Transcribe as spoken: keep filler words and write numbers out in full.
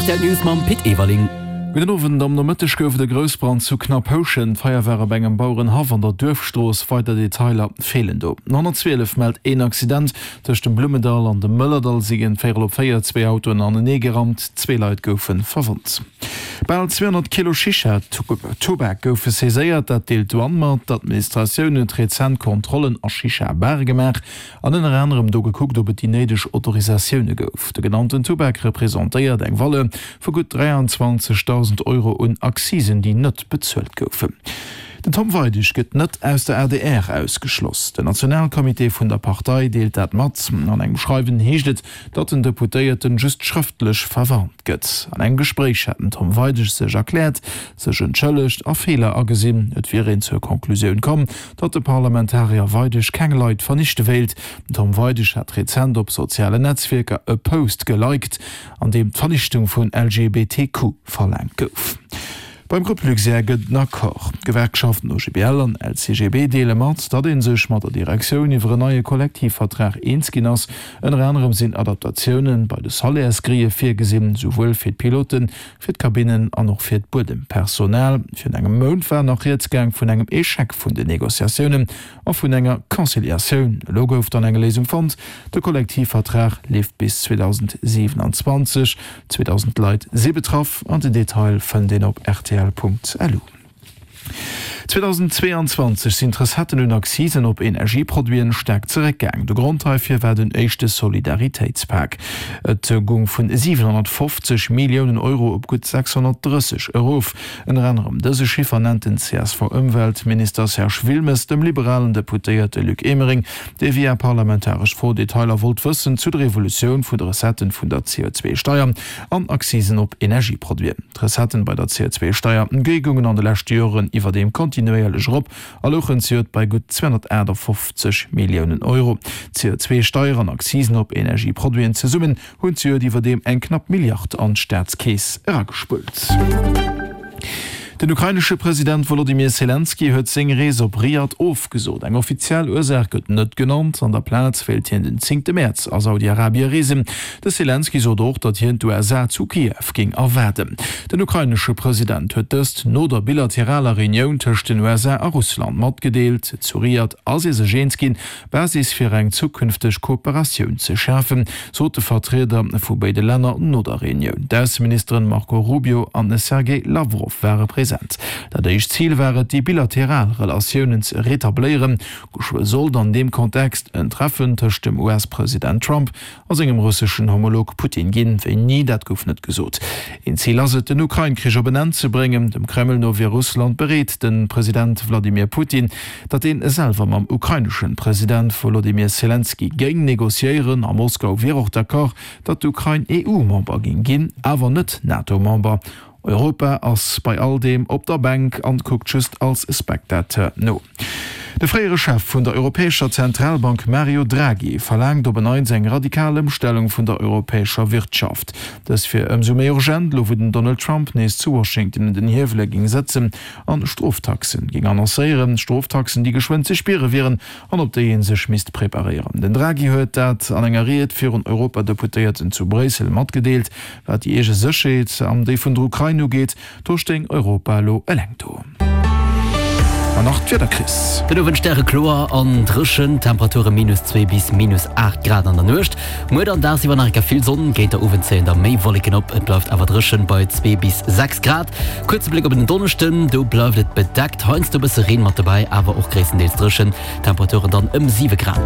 Rtl News mam Pit Everling. Gudden Owend, Am Nomëtteg gouf et e Groussbrand zu Knapphouschen. D'Feier war op engem Bauerenhaff an der Duerfstrooss. Weider Detailer feelen do. Den honnertzwielef mellt een Accident. Tëscht dem Blummendall an dem Mëllerdall si géint véierel op véier zwee Autoen anenee gerammt. Zwee Leit goufe verwonnt. Bal zweehonnert Kilo Shisha-Tubak goufe saiséiert, dat deelt d'Douane mat. D'Administratioun huet rezent Kontrollen a Shisha-Bare gemaach an ënner anerem do gekuckt, ob et déi néideg Autorisatioune gouf. De genannten Tubak representéiert eng Valeur vu gutt dräianzwanzegdausend Euro un Accisen, déi net bezuelt goufen. Den Tom Weidig gëtt net aus der adr ausgeschloss. Den Nationalcomité vun der Partei deelt dat mat. An engem Schreiwen heescht et, datt den Deputéierten just schrëftlech verwarnt gëtt. An engem Gespréich hätt den Tom Weidig sech erkläert, sech entschëllegt a Feeler agesinn. Et wier een zur Konklusioun komm, datt de Parlamentarier Weidig keng Leit vernichte wéilt. Den Tom Weidig hat rezent op sozialen Netzwierker e Post geliked, an deem d'Vernichtung vun L G B T Q verlaangt gouf. Beim Grupp Luxair gëtt en Accord. D'Gewerkschaften O G B L an L C G B deele mat, datt ee sech mat der Direktioun iwwer en neie Kollektivvertrag eens ginn ass. Ënner anerem sinn Adaptatioune bei de Salairsgrille virgesinn, souwuel fir d'Piloten, fir d'Kabinnen an och fir d'Buedempersonal. Virun engem Mount war nach rieds gaang vun engem Echec vun den Negociatiounen a vun enger Conciliatioun. Elo gouf dann eng Léisung fonnt, De Kollektivvertrag leeft bis zweedausendsiwenanzwanzeg. zweedausend Leit si betraff an den Detail fënnt een op rtl Punkt lu. zweedausendzweeanzwanzeg sinn d'Recetten un Accisen op Energieproduiten staark zeréckgaang. De Grond heifir war den éischte Solidaritéitspak. Et goung vun siwenhonnertfofzeg Milliounen Euro op gutt sechshonnertdrësseg erof. Ënner anerem dëse Chiffer nennt den C S V-Ëmweltminister Serge Wilmes dem liberalen Deputéierte Luc Emering, dee via parlamentaresch Fro Detailer wollt wëssen zu der Evolutioun vun de Recetten vun der C O zwei Steier an Accisen op Energieproduiten. D'Recetten bei der C O zwei Steier goungen an de leschte Joren iwwerdeem kontinuéierlech erop a louchen zejoert bei gutt zweehonnertaachtafofzeg Milliounen Euro. C O zwei Steier an Accisen op Energieproduiten zesummen hunn zejoert iwwerdeem eng knapp Milliard an d'Staatskeess eragespullt. Den ukrainesche President Wolodymyr Selenskyj huet seng Rees op Riad ofgesot. Eng offiziell Ursaach gëtt net genannt. An der Plaz wéilt hien den zéngte Mäerz a Saudi-Arabie reesen. De Selenskyj sot och, datt hien d'U S A zu Kiew géing erwaarden. Den ukrainesche President huet dëst no der bilateraler Reunioun tëscht den U S A a Russland matgedeelt. Zu Riad ass ee sech eens ginn, d'Basis fir eng zukünfteg Kooperatioun ze schafen, sot de Vertrieder vu béide Länner no der Reunioun. D'Ausseministeren Marco Rubio an Sergej Lawrow ware present. Dat éischt Zil war et, déi bilateral Relatiounen ze retabléieren. Geschwë sollt an deem Kontext en Treffen tëscht dem U S-President Trump a sengem russeschen Homolog Putin ginn. Wéini, dat gouf net gesot. Een Zil ass et, den Ukrain-Krich op en Enn ze bréngen. Dem Kreml no wier Russland bereet, de President Wladimir Putin, datt dee selwer mam ukrainesche President Wolodymyr Selenskyj géing negociéieren. A Moskau wier och d'accord, datt d'Ukrain E U-Member géing ginn, awer net NATO-Member. Europa ass bei all deem op der Bänk an kuckt just als Spectateur no. De fréiere Chef vun der Europäescher Zentralbank Mario Draghi verlaangt op en Neits eng radikal Ëmstellung vun der europäescher Wirtschaft. Dës wier ëmsou méi urgent, elo wou den Donald Trump nees zu Washington un den Hiewele géing sëtzen an Stroftaxen géing annoncéieren. Stroftaxen, déi geschwënn ze spiere wieren an op déi ee sech misst preparéieren. Den Draghi huet dat an enger Ried virun Europadeputéierten zu Bréissel matgedeelt. Wat déi eege Sécherheet an déi vun der Ukrain ugeet, do stéing Europa elo eleng do. An nach d'Wieder, Chris. Den Owend stärekloer an dréchen, Temperature minus zwee bis minus aacht Grad an der Nuecht. Muer dann dagsiwwer nach eng Kéier vill Sonn, géint der Owend zéien da méi Wolleken op, et bleift awer dréchen bei zwee bis sechs Grad. Kuerze Bléck op den Donneschden, do bleift et bedeckt, heiansdo e bësse Reen mat dobäi, awer och gréisstendeels dréchen, Temperaturen dann ëm siwe Grad.